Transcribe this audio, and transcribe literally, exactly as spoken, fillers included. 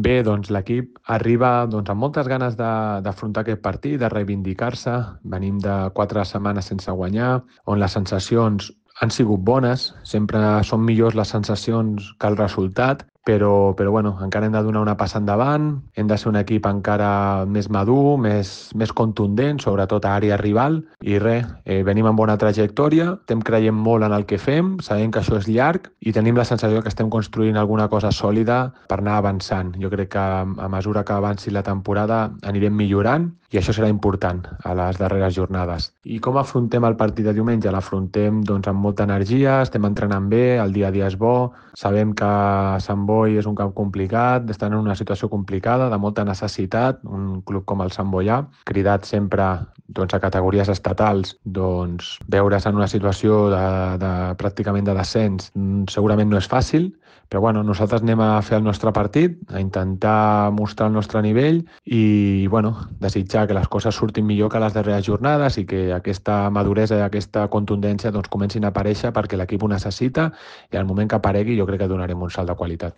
Bé, doncs l'equip arriba doncs, amb moltes ganes de- d'afrontar aquest partit, de reivindicar-se. Venim de quatre setmanes sense guanyar, on les sensacions han sigut bones. Sempre són millors les sensacions que el resultat, però, però bueno, encara hem de donar una passa endavant, hem de ser un equip encara més madur, més, més contundent, sobretot a àrea rival, i res, eh, venim amb bona trajectòria, estem creient molt en el que fem, sabem que això és llarg i tenim la sensació que estem construint alguna cosa sòlida per anar avançant. Jo crec que a mesura que avanci la temporada anirem millorant i això serà important a les darreres jornades. I com afrontem el partit de diumenge? L'afrontem doncs, amb molta energia, estem entrenant bé, el dia a dia és bo, sabem que Sant Boi és un camp complicat, estan en una situació complicada, de molta necessitat, un club com el Sant Boià, cridat sempre doncs, a categories estatals, doncs, veure's en una situació de, de, pràcticament de descens mm, segurament no és fàcil, però bueno, nosaltres anem a fer el nostre partit, a intentar mostrar el nostre nivell i bueno, desitjar que les coses surtin millor que les darreres jornades i que aquesta maduresa i aquesta contundència doncs, comencin a aparèixer perquè l'equip ho necessita i al moment que aparegui jo crec que donarem un salt de qualitat.